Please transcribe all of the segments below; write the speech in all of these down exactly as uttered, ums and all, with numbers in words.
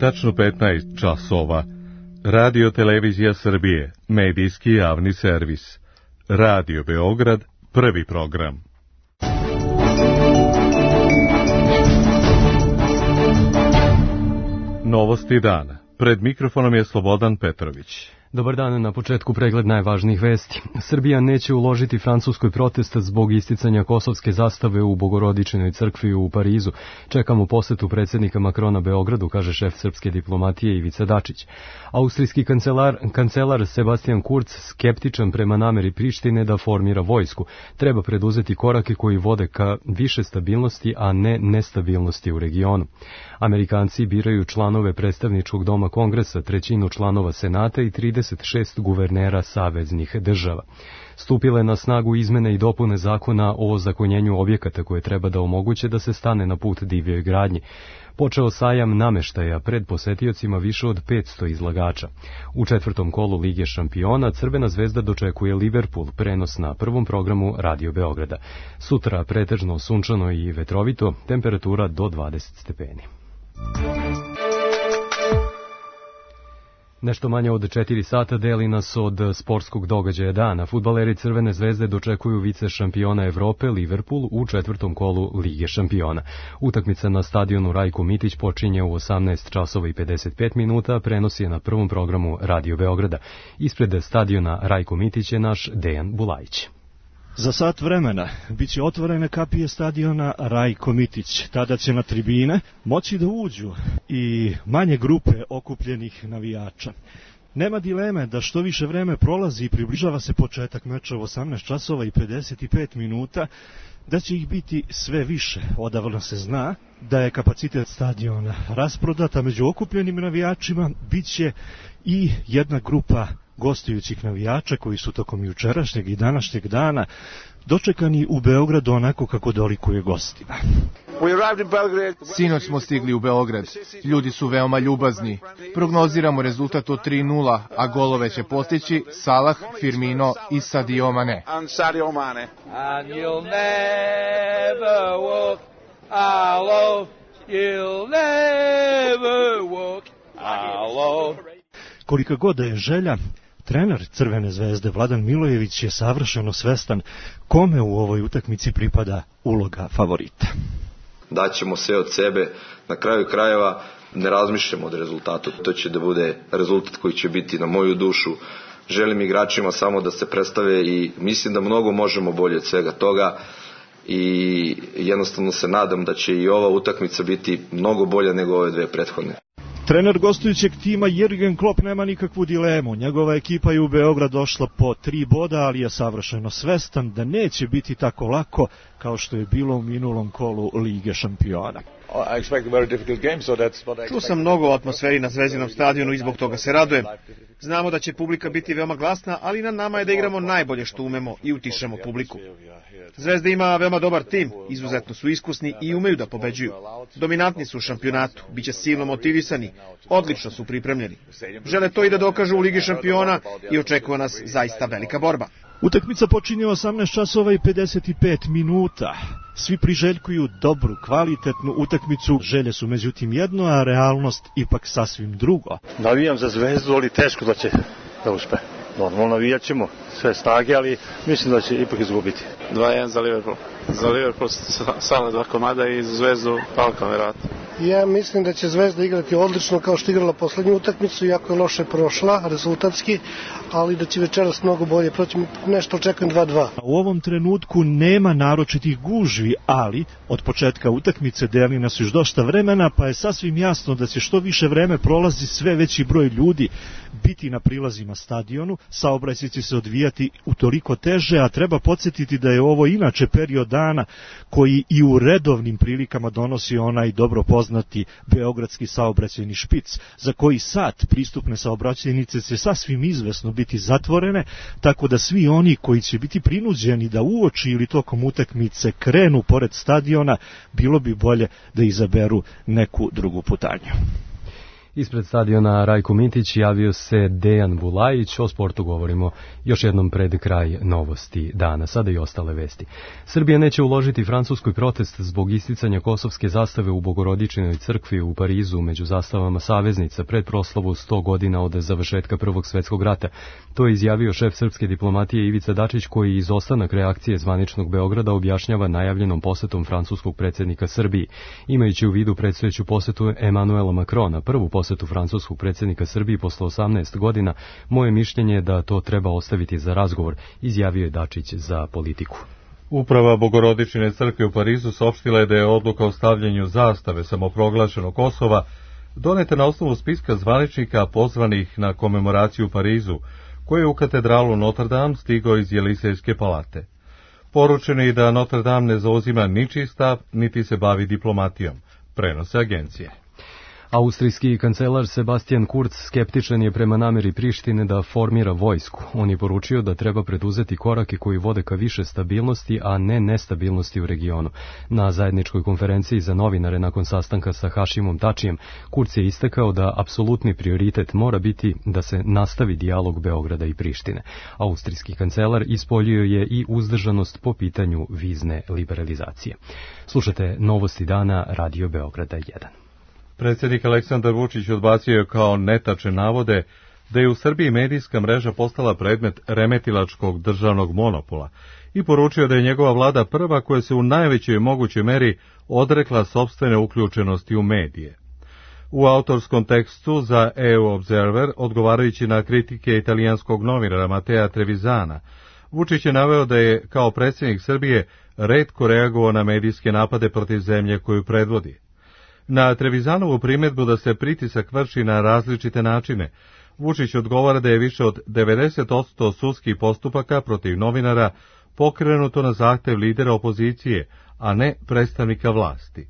tačno petnaest časova. Radio Televizija Srbije, medijski javni servis. Radio Beograd, prvi program. Novosti dana. Pred mikrofonom je Slobodan Petrović. Dobar dan, na početku pregled najvažnijih vesti. Srbija neće uložiti Francuskoj protest zbog isticanja kosovske zastave u Bogorodičinoj crkvi u Parizu. Čekamo posetu predsjednika Makrona Beogradu, kaže šef srpske diplomatije Ivica Dačić. Austrijski kancelar, kancelar Sebastian Kurz skeptičan prema nameri Prištine da formira vojsku. Treba preduzeti korake koji vode ka više stabilnosti, a ne nestabilnosti u regionu. Amerikanci biraju članove predstavničkog doma Kongresa, trećinu članova Senata i trideset šest guvernera saveznih država. Stupile na snagu izmene i dopune zakona o ozakonjenju objekata koje treba da omoguće da se stane na put divljoj gradnji. Počeo sajam nameštaja, pred posetiocima više od petsto izlagača. U četvrtom kolu Lige šampiona Crvena zvezda dočekuje Liverpool, prenos na prvom programu Radio Beograda. Sutra pretežno sunčano i vetrovito, temperatura do dvadeset stepeni. Nešto manje od četiri sata deli nas od sportskog događaja dana. Fudbaleri Crvene zvezde dočekuju vice šampiona Evrope Liverpool u četvrtom kolu Lige šampiona. Utakmica na stadionu Rajko Mitić počinje u osamnaest časova i pedeset pet minuta, prenos je na prvom programu Radio Beograda. Ispred stadiona Rajko Mitić je naš Dejan Bulajić. Za sat vremena biće otvorene kapije stadiona Rajko Mitić. Tada će na tribine moći da uđu i manje grupe okupljenih navijača. Nema dileme da što više vreme prolazi i približava se početak meča u osamnaest časova i pedeset pet minuta, da će ih biti sve više. Odavno se zna da je kapacitet stadiona rasprodat, a među okupljenim navijačima biće i jedna grupa gostujućih navijača koji su tokom jučerašnjeg i današnjeg dana dočekani u Beogradu onako kako dolikuje gostima. Sinoć smo stigli u Beograd. Ljudi su veoma ljubazni. Prognoziramo rezultat od tri nula, a golove će postići Salah, Firmino i Sadio Mane. And you'll never walk alone. You'll never walk alone. Kolika god da je želja, trener Crvene zvezde Vladan Milojević je savršeno svestan kome u ovoj utakmici pripada uloga favorita. Daćemo sve od sebe, na kraju krajeva ne razmišljamo od rezultatu. To će da bude rezultat koji će biti na moju dušu. Želim igračima samo da se predstave i mislim da mnogo možemo bolje od svega toga i jednostavno se nadam da će i ova utakmica biti mnogo bolja nego ove dve prethodne. Trener gostujućeg tima Jürgen Klopp nema nikakvu dilemu. Njegova ekipa je u Beograd došla po tri boda, ali je savršeno svestan da neće biti tako lako kao što je bilo u minulom kolu Lige šampiona. Čuo sam mnogo o atmosferi na Zvezdinom stadionu i zbog toga se radujem. Znamo da će publika biti veoma glasna, ali na nama je da igramo najbolje što umemo i utišemo publiku. Zvezda ima veoma dobar tim, izuzetno su iskusni i umeju da pobeđuju. Dominantni su u šampionatu, biće silno motivisani, odlično su pripremljeni. Žele to i da dokažu u Ligi šampiona i očekuje nas zaista velika borba. Utakmica počinje u osamnaest časova i pedeset pet minuta. Svi priželjkuju dobru, kvalitetnu utakmicu. Želje su međutim jedno, a realnost ipak sasvim drugo. Navijam za Zvezdu, ali teško da će da uspe. Normalno navijat ćemo sve snage, ali mislim da će ipak izgubiti. dva jedan za Liverpool. Za Liverpool samo dva komada i za Zvezdu Palka, vjerojatno. Ja mislim da će Zvezda igrati odlično kao što igrala poslednju utakmicu, iako je loše prošla rezultatski, ali da će večeras mnogo bolje proći. Nešto očekujem dva dva. U ovom trenutku nema naročitih gužvi, ali od početka utakmice deli nas još dosta vremena, pa je sasvim jasno da će što više vreme prolazi sve veći broj ljudi biti na prilazima stadionu. Saobraćaj će se odvijati utoliko teže, a treba podsjetiti da je ovo inače period dana koji i u redovnim prilikama donosi onaj dobro poznati beogradski saobraćajni špic, za koji sat pristupne saobraćajnice će sasvim izvesno biti zatvorene, tako da svi oni koji će biti prinuđeni da uoči ili tokom utakmice krenu pored stadiona, bilo bi bolje da izaberu neku drugu putanju. Ispred stadiona Rajko Mitić javio se Dejan Bulajić, o sportu govorimo još jednom pred kraj novosti dana, sada i ostale vesti. Srbija neće uložiti francuskoj protest zbog isticanja kosovske zastave u Bogorodičinoj crkvi u Parizu među zastavama saveznica pred proslavu sto godina od završetka Prvog svetskog rata. To je izjavio šef srpske diplomatije Ivica Dačić, koji izostanak reakcije zvaničnog Beograda objašnjava najavljenom posetom francuskog predsjednika Srbiji. Imajući u vidu predstojeću posetu Emanuela Macrona, prvu posetu francuskog predsjednika Srbiji posle osamnaest godina, moje mišljenje je da to treba ostaviti za razgovor, izjavio je Dačić za Politiku. Uprava Bogorodičine crkve u Parizu saopštila je da je odluka o stavljanju zastave samoproglašenog Kosova doneta na osnovu spiska zvaničnika pozvanih na komemoraciju u Parizu, koji je u katedralu Notre Dame stigao iz Jelisejske palate. Poručeno je da Notre Dame ne zauzima ničiji stav, niti se bavi diplomatijom, prenose agencije. Austrijski kancelar Sebastian Kurz skeptičan je prema nameri Prištine da formira vojsku. On je poručio da treba preduzeti korake koji vode ka više stabilnosti, a ne nestabilnosti u regionu. Na zajedničkoj konferenciji za novinare nakon sastanka sa Hašimom Tačijem, Kurz je istakao da apsolutni prioritet mora biti da se nastavi dijalog Beograda i Prištine. Austrijski kancelar ispoljio je i uzdržanost po pitanju vizne liberalizacije. Slušate Novosti dana Radio Beograda jedan. Predsjednik Aleksandar Vučić odbacio je kao netačne navode da je u Srbiji medijska mreža postala predmet remetilačkog državnog monopola i poručio da je njegova vlada prva koja se u najvećoj mogućoj meri odrekla sopstvene uključenosti u medije. U autorskom tekstu za E U Observer, odgovarajući na kritike italijanskog novinara Matea Trevisana, Vučić je naveo da je kao predsjednik Srbije retko reagovao na medijske napade protiv zemlje koju predvodi. Na Trevisanovu primjedbu da se pritisak vrši na različite načine, Vučić odgovara da je više od devedeset posto sudskih postupaka protiv novinara pokrenuto na zahtev lidera opozicije, a ne predstavnika vlasti.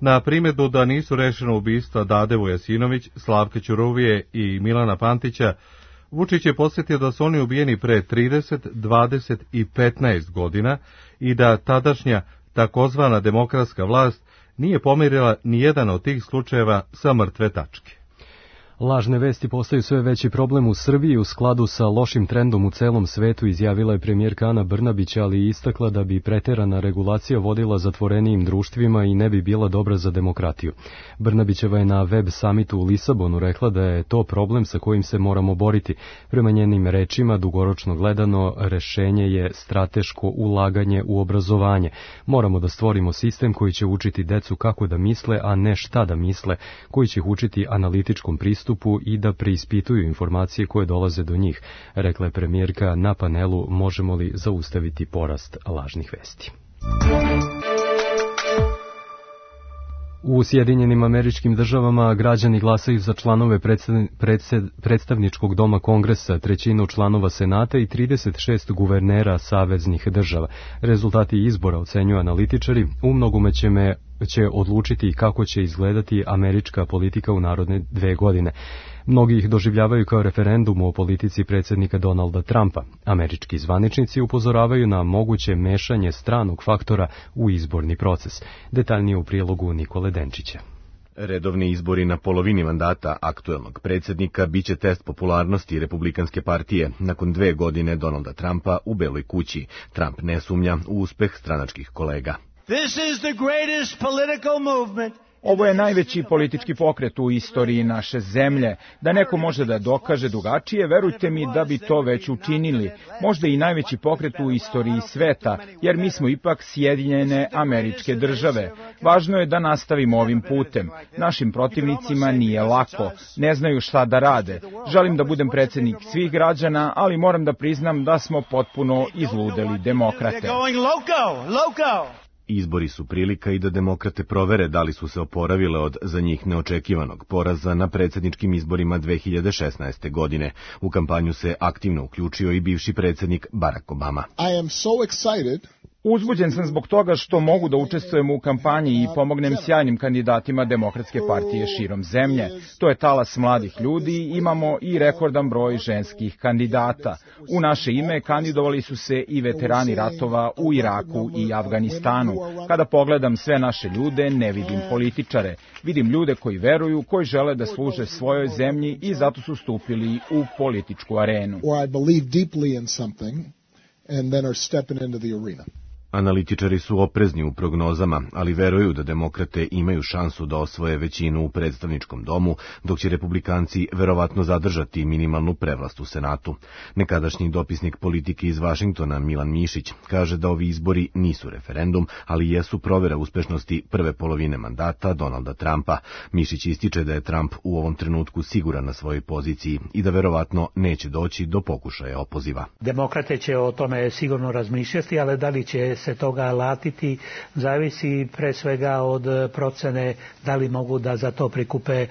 Na primjedbu da nisu rešena ubistva Dade Vujasinović, Slavka Ćuruvije i Milana Pantića, Vučić je podsjetio da su oni ubijeni pre trideset, dvadeset i petnaest godina i da tadašnja takozvana demokratska vlast nije pomirila ni jedan od tih slučajeva sa mrtve tačke. Lažne vesti postaju sve veći problem u Srbiji u skladu sa lošim trendom u celom svetu, izjavila je premijerka Ana Brnabić, ali i istakla da bi preterana regulacija vodila zatvorenijim društvima i ne bi bila dobra za demokratiju. Brnabićeva je na web samitu u Lisabonu rekla da je to problem sa kojim se moramo boriti. Prema njenim rečima, dugoročno gledano, rešenje je strateško ulaganje u obrazovanje. Moramo da stvorimo sistem koji će učiti decu kako da misle, a ne šta da misle, koji će ih učiti analitičkom pristupu i da preispituju informacije koje dolaze do njih, rekla je premijerka na panelu Možemo li zaustaviti porast lažnih vesti. U Sjedinjenim Američkim Državama građani glasaju za članove predstavničkog doma Kongresa, trećinu članova Senata i trideset šest guvernera saveznih država. Rezultati izbora, ocenjuju analitičari, u mnogome će me će odlučiti kako će izgledati američka politika u narodne dve godine. Mnogi ih doživljavaju kao referendum o politici predsjednika Donalda Trumpa. Američki zvaničnici upozoravaju na moguće mešanje stranog faktora u izborni proces. Detaljnije u prilogu Nikole Denčića. Redovni izbori na polovini mandata aktuelnog predsjednika biće test popularnosti Republikanske partije nakon dve godine Donalda Trumpa u Beloj kući. Trump ne sumnja u uspeh stranačkih kolega. This is the greatest political movement. Ovo je najveći politički pokret u istoriji naše zemlje. Da neko može da dokaže drugačije, verujte mi da bi to već učinili. Možda i najveći pokret u istoriji sveta, jer mi smo ipak Sjedinjene Američke Države. Važno je da nastavimo ovim putem. Našim protivnicima nije lako. Ne znaju šta da rade. Želim da budem predsjednik svih građana, ali moram da priznam da smo potpuno izludeli demokrate. Izbori su prilika i da demokrate provere da li su se oporavile od za njih neočekivanog poraza na predsjedničkim izborima dve hiljade šesnaeste. godine. U kampanju se aktivno uključio i bivši predsjednik Barack Obama. I am so excited Uzbuđen sam zbog toga što mogu da učestvujem u kampanji i pomognem sjajnim kandidatima Demokratske partije širom zemlje. To je talas mladih ljudi, imamo i rekordan broj ženskih kandidata. U naše ime kandidovali su se i veterani ratova u Iraku i Afganistanu. Kada pogledam sve naše ljude, ne vidim političare. Vidim ljude koji veruju, koji žele da služe svojoj zemlji i zato su stupili u političku arenu. Analitičari su oprezni u prognozama, ali veruju da demokrate imaju šansu da osvoje većinu u predstavničkom domu, dok će republikanci verovatno zadržati minimalnu prevlast u Senatu. Nekadašnji dopisnik politike iz Vašingtona Milan Mišić kaže da ovi izbori nisu referendum, ali jesu provera uspešnosti prve polovine mandata Donalda Trumpa. Mišić ističe da je Trump u ovom trenutku siguran na svojoj poziciji i da verovatno neće doći do pokušaja opoziva. Demokrate će o tome sigurno razmišljati, ali da li će se toga latiti, zavisi pre svega od procene da li mogu da za to prikupe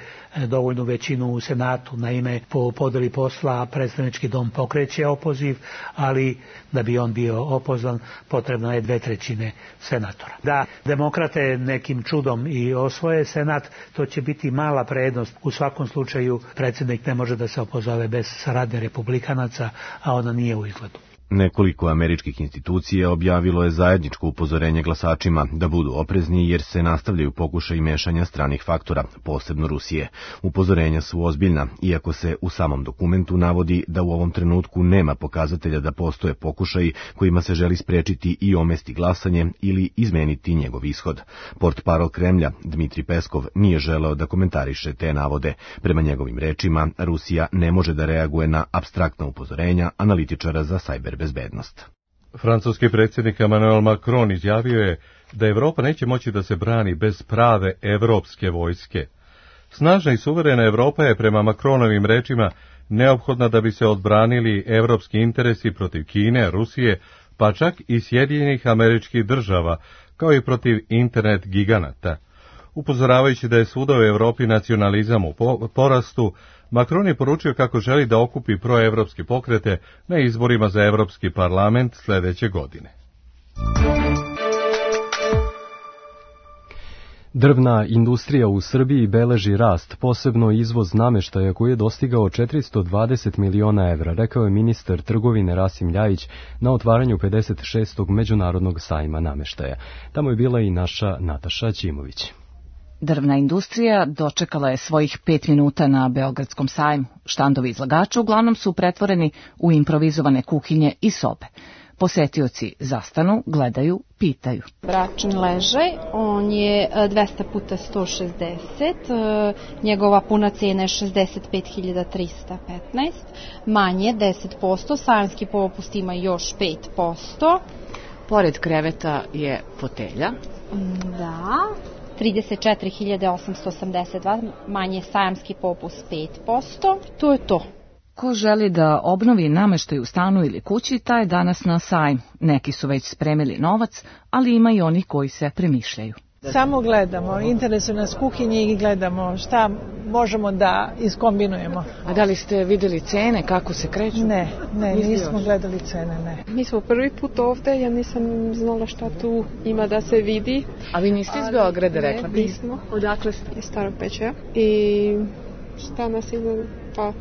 dovoljnu većinu u Senatu. Naime, po podeli posla predstavnički dom pokreće opoziv, ali da bi on bio opozvan potrebno je dve trećine senatora. Da demokrate nekim čudom i osvoje Senat, to će biti mala prednost. U svakom slučaju predsjednik ne može da se opozove bez saradnje republikanaca, a ona nije u izgledu. Nekoliko američkih institucija objavilo je zajedničko upozorenje glasačima da budu oprezni jer se nastavljaju pokušaji mešanja stranih faktora, posebno Rusije. Upozorenja su ozbiljna, iako se u samom dokumentu navodi da u ovom trenutku nema pokazatelja da postoje pokušaji kojima se želi sprečiti i omesti glasanje ili izmeniti njegov ishod. Portparol Kremlja, Dmitri Peskov, nije želeo da komentariše te navode. Prema njegovim rečima, Rusija ne može da reaguje na apstraktna upozorenja analitičara za sajber bezbednost. Francuski predsjednik Emmanuel Macron izjavio je da Evropa neće moći da se brani bez prave evropske vojske. Snažna i suverena Evropa je prema Macronovim rečima neophodna da bi se odbranili evropski interesi protiv Kine, Rusije, pa čak i Sjedinjenih Američkih Država, kao i protiv internet giganata. Upozoravajući da je svuda u Evropi nacionalizam u porastu, Macron je poručio kako želi da okupi proevropske pokrete na izborima za Evropski parlament sljedeće godine. Drvna industrija u Srbiji beleži rast, posebno izvoz nameštaja koji je dostigao četiristo dvadeset miliona evra, rekao je ministar trgovine Rasim Ljajić na otvaranju pedeset šestog međunarodnog sajma nameštaja. Tamo je bila i naša Nataša Ćimović. Drvna industrija dočekala je svojih pet minuta na Beogradskom sajmu. Štandovi izlagača uglavnom su pretvoreni u improvizovane kuhinje i sobe. Posetioci zastanu, gledaju, pitaju. Bračni ležaj, on je dvesta puta sto šezdeset, njegova puna cena je šezdeset pet hiljada trista petnaest, manje deset posto, sajamski popust ima još pet posto. Pored kreveta je fotelja. Da, trideset četiri hiljade osamsto osamdeset dva, manje sajamski popust pet posto, to je to. Ko želi da obnovi nameštaj u stanu ili kući, taj je danas na sajmu. Neki su već spremili novac, ali ima i oni koji se premišljaju. Samo gledamo, interesuje nas kuhinje i gledamo šta možemo da iskombinujemo. A da li ste vidjeli cene, kako se kreću? Ne, ne, nismo gledali cene, ne. Mi smo prvi put ovde, ja nisam znala šta tu ima da se vidi. A vi niste iz Beograda, rekla? Ne, nismo. Odakle ste? Iz Starog Bečeja. I šta nas ima, pa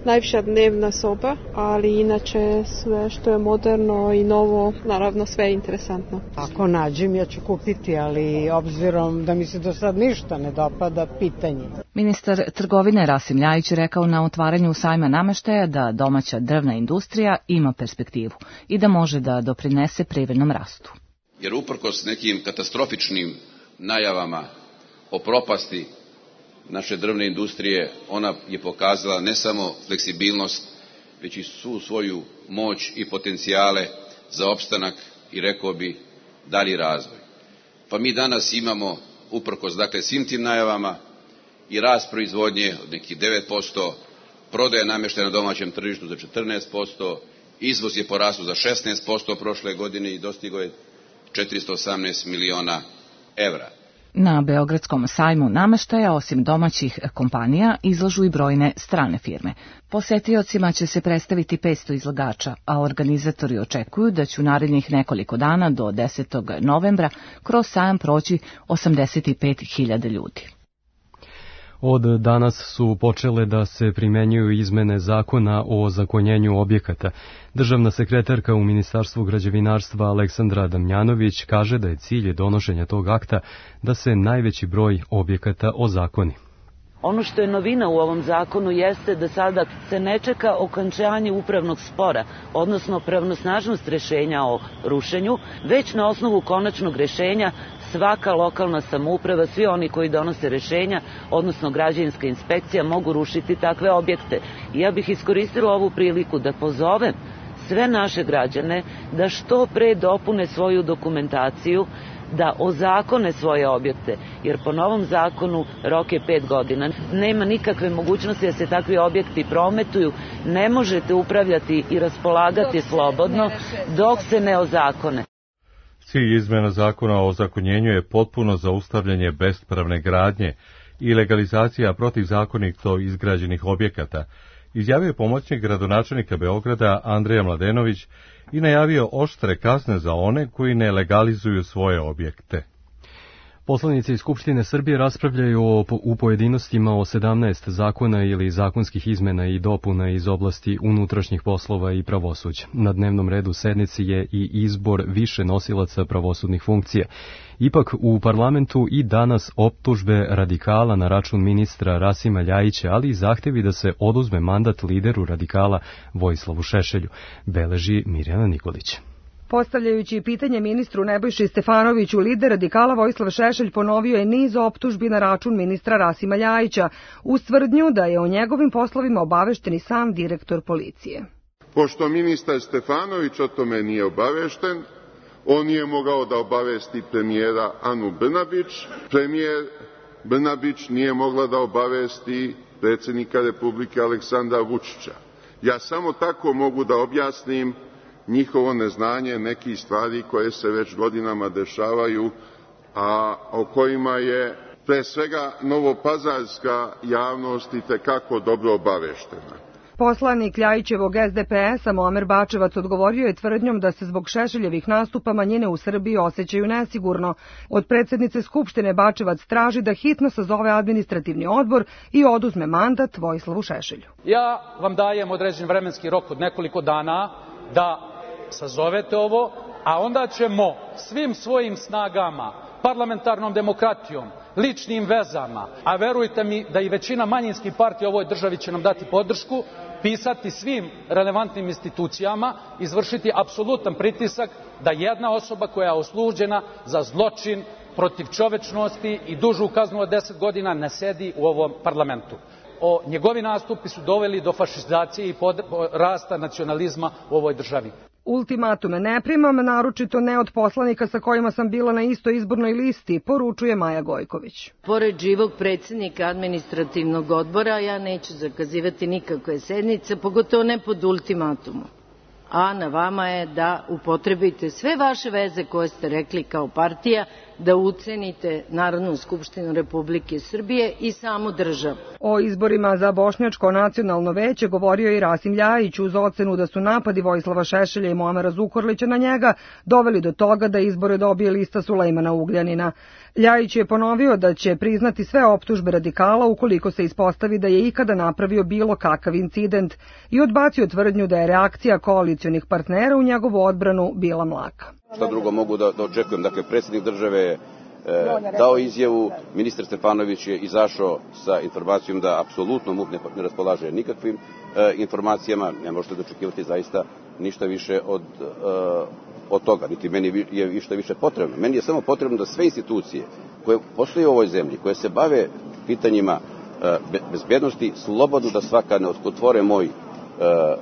najviša dnevna soba, ali inače sve što je moderno i novo, naravno sve je interesantno. Ako nađem, ja ću kupiti, ali obzirom da mi se do sad ništa ne dopada, pitanje. Ministar trgovine Rasim Ljajić rekao na otvaranju sajma nameštaja da domaća drvna industrija ima perspektivu i da može da doprinese privrednom rastu. Jer uprkos nekim katastrofičnim najavama o propasti naše drvne industrije, ona je pokazala ne samo fleksibilnost, već i svu svoju moć i potencijale za opstanak i, rekao bi, dalji razvoj. Pa mi danas imamo, uprkos dakle svim tim najavama, i rast proizvodnje od nekih devet posto, prodaja namještaja na domaćem tržištu za četrnaest posto, izvoz je porastao za šesnaest posto prošle godine i dostigao je četiristo osamnaest miliona evra. Na Beogradskom sajmu nameštaja osim domaćih kompanija izlažu i brojne strane firme. Posetiocima će se predstaviti petsto izlagača, a organizatori očekuju da će u narednih nekoliko dana do desetog novembra kroz sajam proći osamdeset pet hiljada ljudi. Od danas su počele da se primenjuju izmene zakona o ozakonjenju objekata. Državna sekretarka u Ministarstvu građevinarstva Aleksandra Damjanović kaže da je cilj donošenja tog akta da se najveći broj objekata ozakoni. Ono što je novina u ovom zakonu jeste da sada se ne čeka okončanje upravnog spora, odnosno pravnosnažnost rešenja o rušenju, već na osnovu konačnog rešenja svaka lokalna samouprava, svi oni koji donose rešenja, odnosno građevinska inspekcija, mogu rušiti takve objekte. I ja bih iskoristila ovu priliku da pozovem sve naše građane da što pre dopune svoju dokumentaciju, da ozakone svoje objekte, jer po novom zakonu rok je pet godina. Nema nikakve mogućnosti da se takvi objekti prometuju, ne možete upravljati i raspolagati slobodno dok se ne ozakone. Cilj izmena zakona o ozakonjenju je potpuno zaustavljanje bespravne gradnje i legalizacija protivzakonito izgrađenih objekata, izjavio je pomoćnik gradonačelnika Beograda Andreja Mladenović i najavio oštre kazne za one koji ne legalizuju svoje objekte. Poslanici Skupštine Srbije raspravljaju o, u pojedinostima o sedamnaest zakona ili zakonskih izmena i dopuna iz oblasti unutrašnjih poslova i pravosuđa. Na dnevnom redu sednici je i izbor više nosilaca pravosudnih funkcija. Ipak u parlamentu i danas optužbe radikala na račun ministra Rasima Ljajića, ali i zahtevi da se oduzme mandat lideru radikala Vojislavu Šešelju, beleži Mirjana Nikolić. Postavljajući pitanje ministru Nebojši Stefanoviću, lider radikala Vojislav Šešelj ponovio je niz optužbi na račun ministra Rasima Ljajića, uz tvrdnju da je o njegovim poslovima obavešten i sam direktor policije. Pošto ministar Stefanović o tome nije obavešten, on nije mogao da obavesti premijera Anu Brnabić, premijer Brnabić nije mogla da obavesti predsjednika Republike Aleksandra Vučića. Ja samo tako mogu da objasnim njihovo neznanje nekih stvari koje se već godinama dešavaju, a o kojima je pre svega novopazarska javnost itekako dobro obaveštena. Poslanik Ljajićevog S D P S-a Muamer Bačevac odgovorio je tvrdnjom da se zbog Šešeljevih nastupa manjine u Srbiji osjećaju nesigurno. Od predsjednice Skupštine Bačevac traži da hitno sazove administrativni odbor i oduzme mandat Vojislavu Šešelju. Ja vam dajem određen vremenski rok od nekoliko dana da sazovete ovo, a onda ćemo svim svojim snagama, parlamentarnom demokratijom, ličnim vezama, a verujte mi da i većina manjinskih partija u ovoj državi će nam dati podršku, pisati svim relevantnim institucijama, izvršiti apsolutan pritisak da jedna osoba koja je osuđena za zločin protiv čovečnosti i dužu kaznu od deset godina ne sedi u ovom parlamentu. O, njegovi nastupi su doveli do fašizacije i pod, rasta nacionalizma u ovoj državi. Ultimatume ne primam, naročito ne od poslanika sa kojima sam bila na istoj izbornoj listi, poručuje Maja Gojković. Pored živog predsjednika administrativnog odbora, ja neću zakazivati nikakve sednice, pogotovo ne pod ultimatumom. A na vama je da upotrebite sve vaše veze koje ste rekli kao partija, da ucenite Narodnu skupštinu Republike Srbije i samu državu. O izborima za Bošnjačko nacionalno veće govorio i Rasim Ljajić uz ocenu da su napadi Vojislava Šešelja i Muamera Zukorlića na njega doveli do toga da izbore dobije lista Sulejmana Ugljanina. Ljajić je ponovio da će priznati sve optužbe radikala ukoliko se ispostavi da je ikada napravio bilo kakav incident i odbacio tvrdnju da je reakcija koalicionih partnera u njegovu odbranu bila mlaka. Šta drugo mogu da, da očekujem? Dakle, predsjednik države je e, dao izjavu, ministar Stefanović je izašao sa informacijom da apsolutno MUP ne, ne raspolaže nikakvim e, informacijama, ne možete da očekivati zaista ništa više od, e, od toga, niti meni je ništa više potrebno. Meni je samo potrebno da sve institucije koje postoje u ovoj zemlji, koje se bave pitanjima e, bezbednosti, slobodno da svaka ne otvore moj e,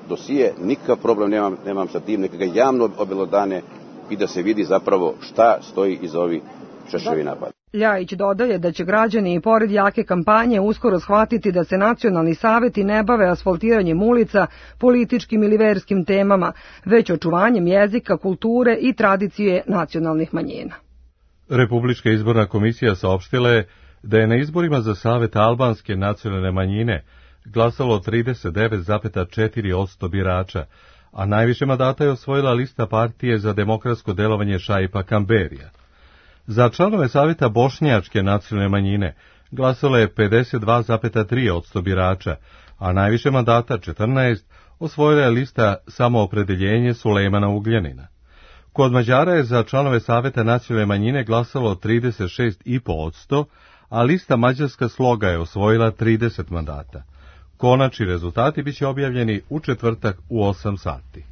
dosije, nikakav problem nemam, nemam sa tim, neka ga javno obelodane i da se vidi zapravo šta stoji iza ovih Šešeljevih napada. Ljajić dodaje da će građani i pored jake kampanje uskoro shvatiti da se nacionalni saveti ne bave asfaltiranjem ulica, političkim ili verskim temama, već očuvanjem jezika, kulture i tradicije nacionalnih manjina. Republička izborna komisija saopštila je da je na izborima za Savet albanske nacionalne manjine glasalo trideset devet zarez četiri posto birača, a najviše mandata je osvojila lista partije za demokratsko delovanje Šaipa Kamberija. Za članove Saveta bošnjačke nacionalne manjine glasalo je pedeset dva zarez tri posto birača, a najviše mandata četrnaest osvojila je lista Samoopredeljenje Sulejmana Ugljanina. Kod Mađara je za članove Saveta nacionalne manjine glasalo trideset šest zarez pet posto, a lista Mađarska sloga je osvojila trideset mandata. Konačni rezultati biće objavljeni u četvrtak u osam sati.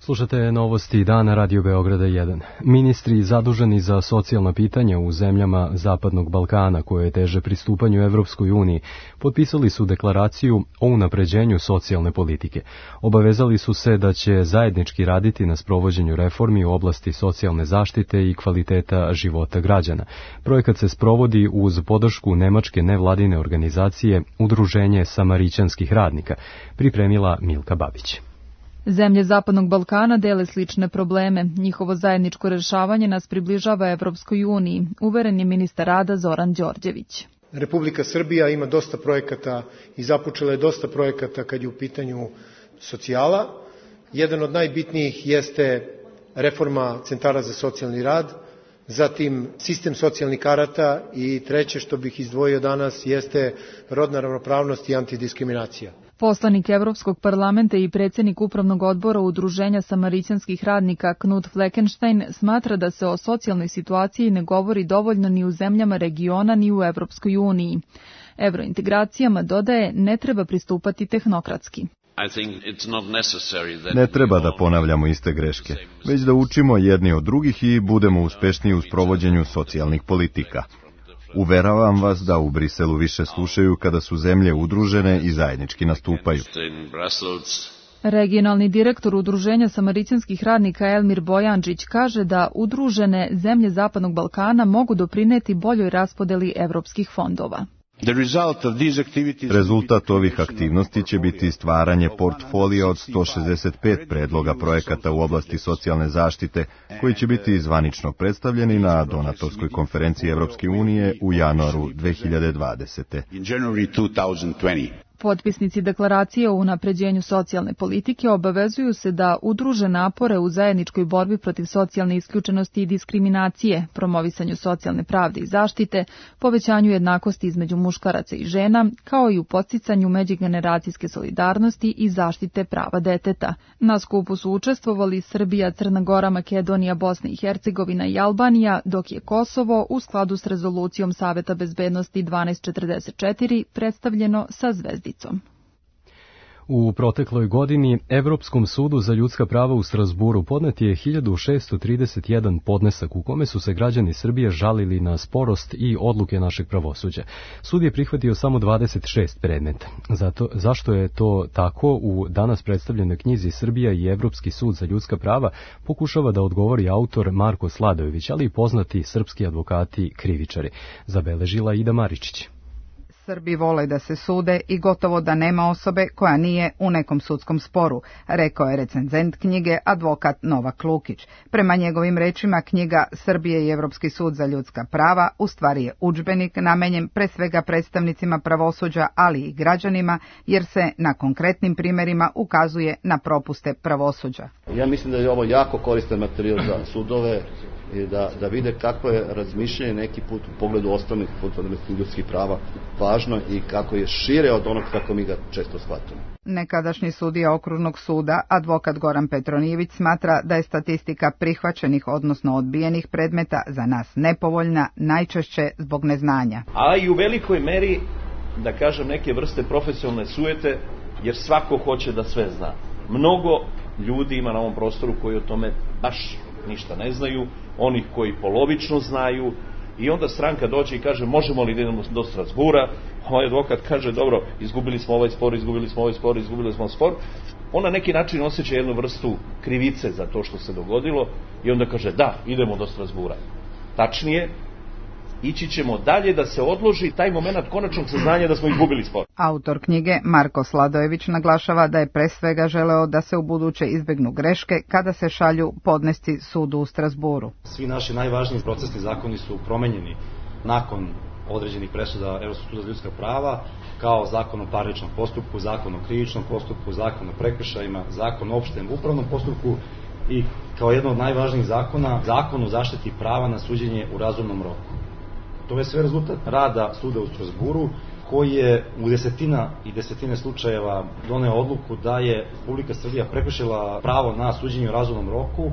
Slušate novosti dana Radio Beograda jedan. Ministri zaduženi za socijalna pitanja u zemljama Zapadnog Balkana koje teže pristupanju Evropskoj uniji potpisali su deklaraciju o unapređenju socijalne politike. Obavezali su se da će zajednički raditi na sprovođenju reformi u oblasti socijalne zaštite i kvaliteta života građana. Projekat se sprovodi uz podršku nemačke nevladine organizacije Udruženje Samarićanskih radnika, pripremila Milka Babić. Zemlje Zapadnog Balkana dele slične probleme. Njihovo zajedničko rešavanje nas približava Evropskoj uniji, uveren je ministar rada Zoran Đorđević. Republika Srbija ima dosta projekata i započela je dosta projekata kad je u pitanju socijala. Jedan od najbitnijih jeste reforma centara za socijalni rad, zatim sistem socijalnih karata i treće što bih izdvojio danas jeste rodna ravnopravnost i antidiskriminacija. Poslanik Evropskog parlamenta i predsjednik upravnog odbora Udruženja Samarićanskih radnika Knut Fleckenstein smatra da se o socijalnoj situaciji ne govori dovoljno ni u zemljama regiona ni u Evropskoj uniji. Evrointegracijama, dodaje, ne treba pristupati tehnokratski. Ne treba da ponavljamo iste greške, već da učimo jedni od drugih i budemo uspešniji u sprovođenju socijalnih politika. Uveravam vas da u Briselu više slušaju kada su zemlje udružene i zajednički nastupaju. Regionalni direktor Udruženja Samarićanskih radnika Elmir Bojančić kaže da udružene zemlje Zapadnog Balkana mogu doprineti boljoj raspodeli evropskih fondova. Rezultat ovih aktivnosti će biti stvaranje portfolija od sto šezdeset pet predloga projekata u oblasti socijalne zaštite, koji će biti zvanično predstavljeni na donatorskoj konferenciji Evropske unije u januaru dve hiljade dvadesete. Potpisnici deklaracije o unapređenju socijalne politike obavezuju se da udruže napore u zajedničkoj borbi protiv socijalne isključenosti i diskriminacije, promovisanju socijalne pravde i zaštite, povećanju jednakosti između muškaraca i žena, kao i u podsticanju međugeneracijske solidarnosti i zaštite prava deteta. Na skupu su učestvovali Srbija, Crna Gora, Makedonija, Bosna i Hercegovina i Albanija, dok je Kosovo u skladu s rezolucijom Saveta bezbednosti dvanaest četrdeset četiri predstavljeno sa zvezdicom. U protekloj godini Evropskom sudu za ljudska prava u Strasburu podnet je hiljadu šessto trideset jedan podnesak u kome su se građani Srbije žalili na sporost i odluke našeg pravosuđa. Sud je prihvatio samo dvadeset šest predmeta. Zato, zašto je to tako, u danas predstavljenoj knjizi Srbija i Evropski sud za ljudska prava pokušava da odgovori autor Marko Sladojević, ali i poznati srpski advokati krivičari. Zabeležila Ida Maričić. Srbi vole da se sude i gotovo da nema osobe koja nije u nekom sudskom sporu, rekao je recenzent knjige advokat Novak Lukić. Prema njegovim rečima, knjiga Srbije i Evropski sud za ljudska prava u stvari je udžbenik namenjen pre svega predstavnicima pravosuđa, ali i građanima, jer se na konkretnim primjerima ukazuje na propuste pravosuđa. Ja mislim da je ovo jako koristan materijal za sudove i da, da vide kako je razmišljanje neki put u pogledu osnovnih fundamentalnih ljudskih prava važno i kako je šire od onog kako mi ga često shvatimo. Nekadašnji sudija okružnog suda, advokat Goran Petronijević, smatra da je statistika prihvaćenih, odnosno odbijenih predmeta za nas nepovoljna, najčešće zbog neznanja. A i u velikoj meri, da kažem, neke vrste profesionalne sujete, jer svako hoće da sve zna. Mnogo ljudi ima na ovom prostoru koji o tome baš ništa ne znaju, onih koji polovično znaju, i onda stranka dođe i kaže možemo li da idemo do Strasbura, ovaj advokat kaže dobro, izgubili smo ovaj spor, izgubili smo ovaj spor, izgubili smo spor. On na neki način osjeća jednu vrstu krivice za to što se dogodilo i onda kaže da, idemo do Strasbura. Tačnije, ići ćemo dalje da se odloži taj moment konačnog saznanja da smo izgubili spor. Autor knjige Marko Sladojević naglašava da je pre svega želeo da se u buduće izbegnu greške kada se šalju podnesci sudu u Strasburu. Svi naši najvažniji procesni zakoni su promenjeni nakon određenih presuda Evropskog suda za ljudska prava, kao zakon o parničnom postupku, zakon o krivičnom postupku, zakon o prekršajima, zakon o opštem upravnom postupku i kao jedno od najvažnijih zakona, zakon o zaštiti prava na suđenje u razumnom roku. To je sve rezultat rada suda u Strasburu, koji je u desetina i desetine slučajeva doneo odluku da je Republika Srbija prekršila pravo na suđenje u razumnom roku,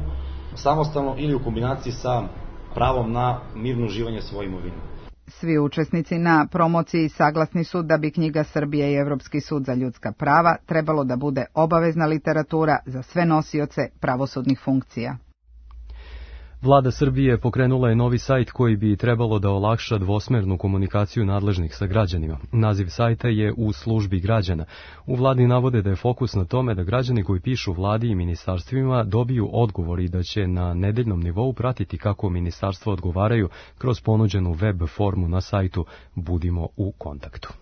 samostalno ili u kombinaciji sa pravom na mirno uživanje svoje imovine. Svi učesnici na promociji saglasni su da bi knjiga Srbije i Evropski sud za ljudska prava trebalo da bude obavezna literatura za sve nosioce pravosudnih funkcija. Vlada Srbije pokrenula je novi sajt koji bi trebalo da olakša dvosmernu komunikaciju nadležnih sa građanima. Naziv sajta je U službi građana. U vladi navode da je fokus na tome da građani koji pišu vladi i ministarstvima dobiju odgovor i da će na nedeljnom nivou pratiti kako ministarstva odgovaraju kroz ponuđenu web formu na sajtu Budimo u kontaktu.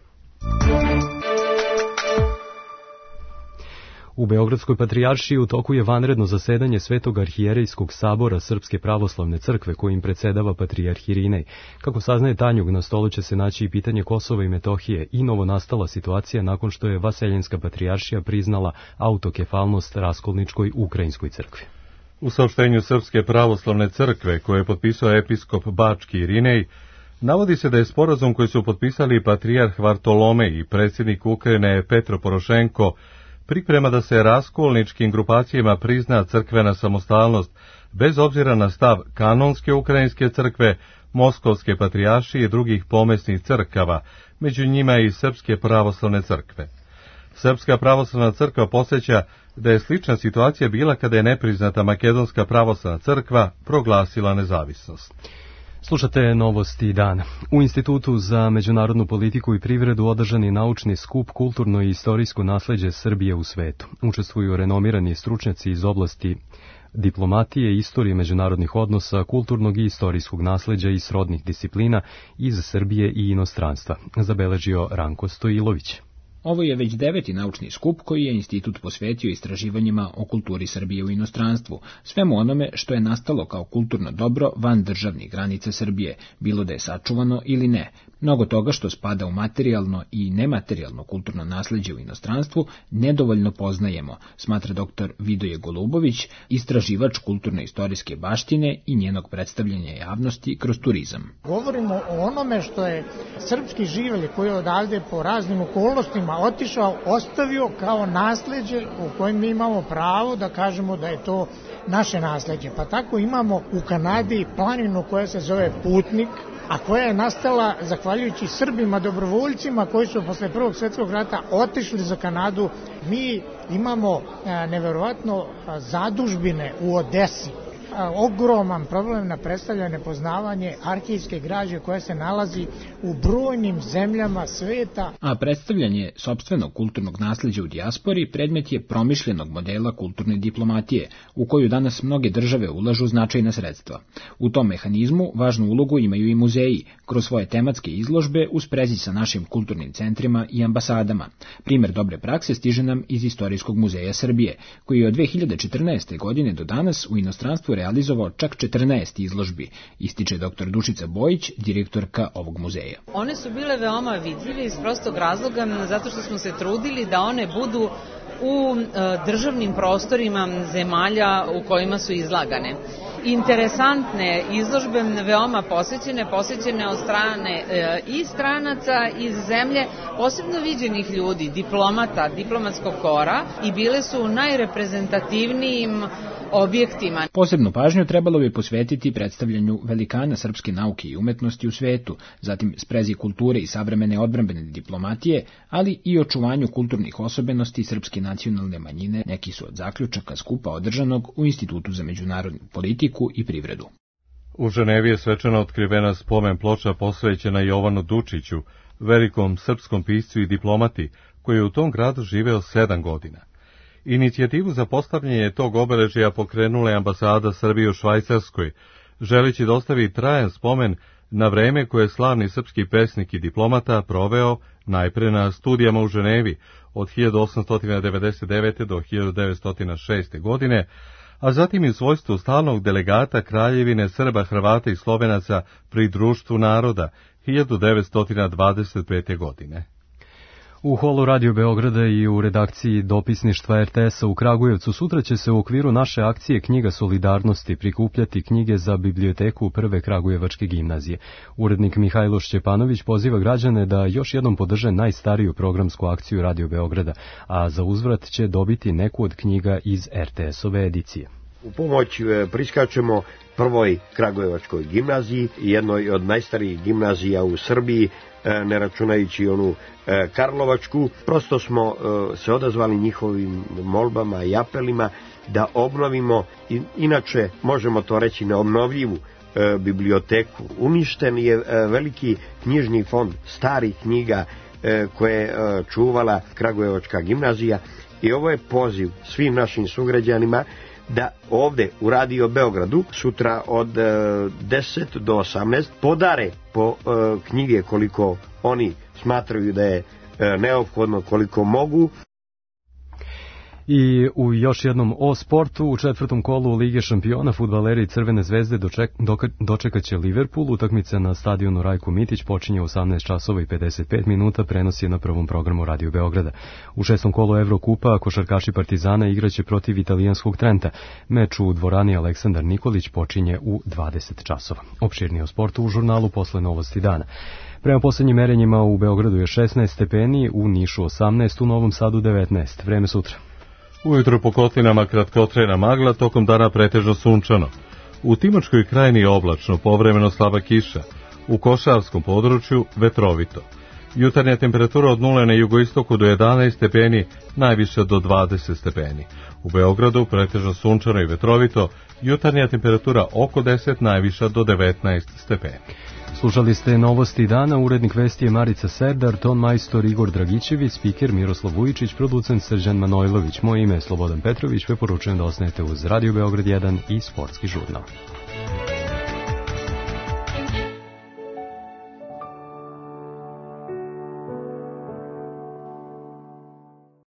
U Beogradskoj patrijaršiji u toku je vanredno zasedanje Svetog arhijerejskog sabora Srpske pravoslavne crkve kojim predsedava patrijarh Irinej. Kako saznaje Tanjug, na stolu će se naći i pitanje Kosova i Metohije i novonastala situacija nakon što je Vaseljenska patrijaršija priznala autokefalnost Raskolničkoj ukrajinskoj crkvi. U saopštenju Srpske pravoslavne crkve koje je potpisao episkop Bački Irinej, navodi se da je sporazum koji su potpisali patrijarh Vartolomej i predsjednik Ukrajine Petro Porošenko priprema da se raskolničkim grupacijama prizna crkvena samostalnost, bez obzira na stav kanonske ukrajinske crkve, Moskovske patrijaršije i drugih pomesnih crkava, među njima i Srpske pravoslavne crkve. Srpska pravoslavna crkva podsjeća da je slična situacija bila kada je nepriznata Makedonska pravoslavna crkva proglasila nezavisnost. Slušate novosti dana. U Institutu za međunarodnu politiku i privredu održan je naučni skup Kulturno i istorijsko nasleđe Srbije u svetu. Učestvuju renomirani stručnjaci iz oblasti diplomatije, istorije međunarodnih odnosa, kulturnog i istorijskog nasleđa i srodnih disciplina iz Srbije i inostranstva, zabeležio Ranko Stojilović. Ovo je već deveti naučni skup koji je institut posvetio istraživanjima o kulturi Srbije u inostranstvu, svemu onome što je nastalo kao kulturno dobro van državnih granica Srbije, bilo da je sačuvano ili ne. Mnogo toga što spada u materijalno i nematerijalno kulturno nasleđe u inostranstvu nedovoljno poznajemo, smatra doktor Vidoje Golubović, istraživač kulturno-istorijske baštine i njenog predstavljanja javnosti kroz turizam. Govorimo o onome što je srpski živeli koji je odavde po raznim okolnostima otišao, ostavio kao nasleđe u kojem mi imamo pravo da kažemo da je to naše nasleđe. Pa tako imamo u Kanadi planinu koja se zove Putnik, a koja je nastala zahvaljujući Srbima dobrovoljcima koji su posle Prvog svjetskog rata otišli za Kanadu. Mi imamo neverovatno zadužbine u Odesi. Ogroman problem na predstavlja nepoznavanje arhivske građe koja se nalazi u brojnim zemljama sveta. A predstavljanje sopstvenog kulturnog nasleđa u dijaspori predmet je promišljenog modela kulturne diplomatije, u koju danas mnoge države ulažu značajna sredstva. U tom mehanizmu važnu ulogu imaju i muzeji, kroz svoje tematske izložbe u sprezi sa našim kulturnim centrima i ambasadama. Primer dobre prakse stiže nam iz Istorijskog muzeja Srbije, koji je od dve hiljade četrnaeste. godine do danas u inostranstvu realizovao čak četrnaest izložbi, ističe doktor Dušica Bojić, direktorka ovog muzeja. One su bile veoma vidljive iz prostog razloga zato što smo se trudili da one budu u državnim prostorima zemalja u kojima su izlagane. Interesantne izložbe, veoma posvećene, posvećene od strane e, i stranaca iz zemlje, posebno viđenih ljudi, diplomata, diplomatskog kora, i bile su najreprezentativnijim objektima. Posebnu pažnju trebalo bi posvetiti predstavljanju velikana srpske nauke i umetnosti u svetu, zatim sprezi kulture i savremene odbrambene diplomatije, ali i očuvanju kulturnih osobenosti srpske nacionalne manjine, neki su od zaključaka skupa održanog u Institutu za međunarodnu politiku i privredu. U Ženevi je svečano otkrivena spomen ploča posvećena Jovanu Dučiću, velikom srpskom piscu i diplomati, koji je u tom gradu živeo sedam godina. Inicijativu za postavljanje tog obeležja pokrenula je ambasada Srbije u Švajcarskoj, želeći da ostavi trajan spomen na vreme koje je slavni srpski pesnik i diplomata proveo najpre na studijama u Ženevi od hiljadu osamsto devedeset devete. do hiljadu devetsto šeste. godine, a zatim i u svojstvu stalnog delegata Kraljevine Srba, Hrvata i Slovenaca pri Društvu naroda hiljadu devetsto dvadeset pete. godine. U holu Radio Beograda i u redakciji dopisništva er te es-a u Kragujevcu sutra će se u okviru naše akcije Knjiga solidarnosti prikupljati knjige za biblioteku Prve Kragujevačke gimnazije. Urednik Mihajlo Šćepanović poziva građane da još jednom podrže najstariju programsku akciju Radio Beograda, a za uzvrat će dobiti neku od knjiga iz er te es-ove edicije. U pomoć priskačemo Prvoj Kragujevačkoj gimnaziji, jednoj od najstarijih gimnazija u Srbiji, ne računajući onu Karlovačku. Prosto smo se odazvali njihovim molbama i apelima da obnovimo, inače možemo to reći, neobnovljivu biblioteku. Uništen je veliki knjižni fond starih knjiga koje je čuvala Kragujevačka gimnazija i ovo je poziv svim našim sugrađanima da ovde u Radio Beogradu sutra od deset do osamnaest podare po knjige koliko oni smatraju da je neophodno, koliko mogu. I u još jednom o sportu, u četvrtom kolu Lige šampiona fudbaleri Crvene zvezde doček, dočekaće Liverpool. Utakmica na stadionu Rajko Mitić počinje u osamnaest časova i pedeset pet minuta, prenos je na prvom programu Radio Beograda. U šestom kolu Evrokupa košarkaši Partizana igraće protiv italijanskog Trenta. Meč u dvorani Aleksandar Nikolić počinje u dvadeset časova. Opširnije o sportu u žurnalu posle novosti dana. Prema poslednjim merenjima u Beogradu je šesnaest stepeni, u Nišu osamnaest, u Novom Sadu devetnaest. Vreme sutra. Ujutro po kotlinama kratkotrajna magla, tokom dana pretežno sunčano. U Timočkoj krajini oblačno, povremeno slaba kiša. U Košavskom području vetrovito. Jutarnja temperatura od nule na jugoistoku do jedanaest stepeni, najviše do dvadeset stepeni. U Beogradu pretežno sunčano i vetrovito, jutarnja temperatura oko deset, najviša do devetnaest stepeni. Slušali ste novosti dana, urednik vesti je Marica Serdar, ton majstor Igor Dragićević, spiker Miroslav Vujičić, producent Srđan Manojlović. Moje ime je Slobodan Petrović, preporučujem da ostanete uz Radio Beograd jedan i Sportski žurnal.